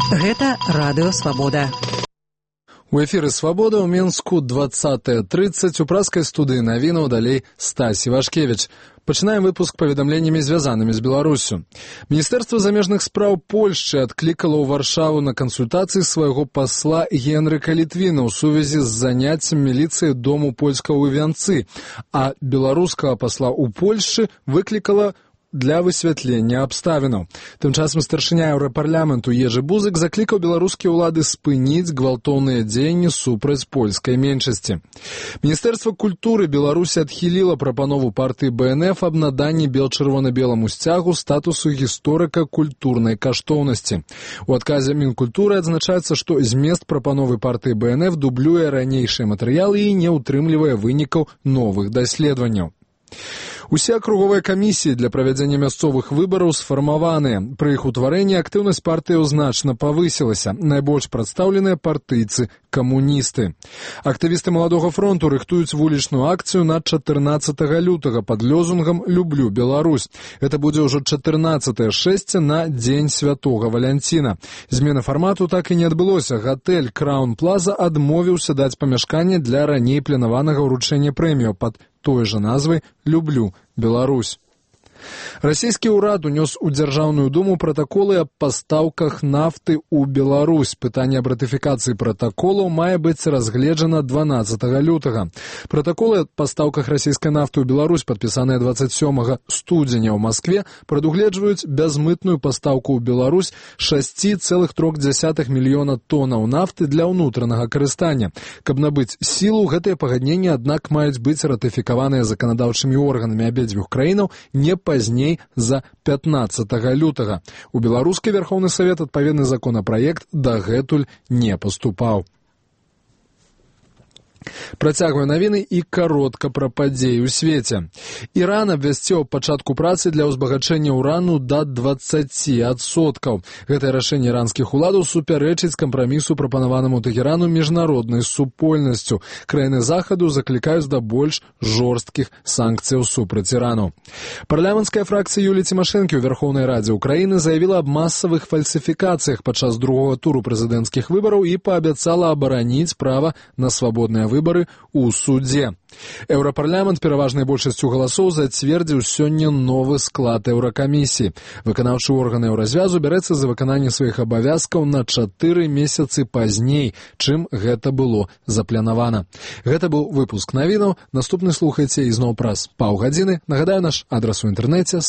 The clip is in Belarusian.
Гэта радыё «Свабода». У эфіры «Свабода» ў Мінску 20:30 у праскай студыі навінаў далей Стась Івашкевіч. Пачынаем выпуск паведамленнямі, звязанымі з Беларусю. Міністэрства замежных спраў Польшчы адклікала ў Варшаву на кансультацыі свайго пасла Генрыка Літвіна ў сувязі з заняццем міліцыі дому польскага ў Вянцы, а беларускага пасла ў Польшчы выклікала для высвятлення абставінаў. Тым часам старшыня Еўрапарламенту Ежы Бузык заклікаў беларускія ўлады спыніць гвалтоўныя дзеянні супраць польскай меншасці. Міністэрства культуры Беларусі адхіліла прапанову партыі БНФ аб наданні бел-чырвона-беламу сцягу статусу гісторыка культурнай каштоўнасці. У адказе Мінкультуры адзначаецца, што змест прапановы партыі БНФ дублюе ранейшыя матэрыялы і не ўтрымлівае вынікаў новых даследаванняў. Усе акруговыя камісіі для правядзення мясцовых выбараў сфармаваныя. Пры іх утварэнні актыўнасць партыяў значна павысілася. Найбольш прадстаўленыя партыйцы, камуністы. Актывісты Маладога фронту рыхтуюць вулічную акцыю на 14 лютага пад лозунгам «Люблю Беларусь». Гэта будзе ўжо 14-е шэсце на Дзень Святога Валянціна. Змена фармату так і не адбылося. Гатэль Краун Плаза адмовіўся даць памяшканне для раней планаванага ўручэння прэмію пад той жа назвай «Люблю Беларусь». Расійскі ўрад унёс у Дзяржаўную думу пратаколы аб пастаўках нафты ў Беларусь. Пытанне аб ратыфікацыі пратаколаў мае быць разгледжана 12 лютага. Пратаколы аб пастаўках расійскай нафты ў Беларусь, падпісаныя 27 студзеня ў Маскве, прадугледжваюць бязмытную пастаўку ў Беларусь 6,3 мільёна тоннаў нафты для ўнутранага карыстання. Каб набыць сілу, гэтыя пагадненні, аднак, маюць быць ратыфікаваныя заканадаўчымі органамі абедзвюх краінаў не пазней за 15 лютага. У беларускі Верховны Савет адпаведны законапраект дагэтуль не паступаў. Працягваю навіны і каротка пра падзеі ў свеце. Іран абвясціў пачатку працы для ўзбагачэння ўрану да 20%. Гэтае рашэнне іранскіх уладаў супярэчыць кампрамісу, прапанаванаму Тэхерану міжнароднай супольнасцю. Краіны захаду заклікаюць да больш жорсткіх санкцыяў супраць Ірану. Парламенцкая фракцыя Юліі Цімашэнкі ў Верхоўнай Радзе Украіны заявіла аб масавых фальсіфікацыях падчас другога туру прэзідэнцкіх выбараў і паабяцала абараніць права на свабодныя выбары ў судзе. Еўрапарламент пераважнай большасцю галасоў зацвердзіў сёння новы склад еўракамісіі. Выканаўчы орган еўразвязу бярэцца за выкананне сваіх абавязкаў на 4 месяцы пазней, чым гэта было запланавана. Гэта быў выпуск навінаў. Наступны слухайце ізноў праз паўгадзіны. Нагадаю, наш адрас у інтэрнэце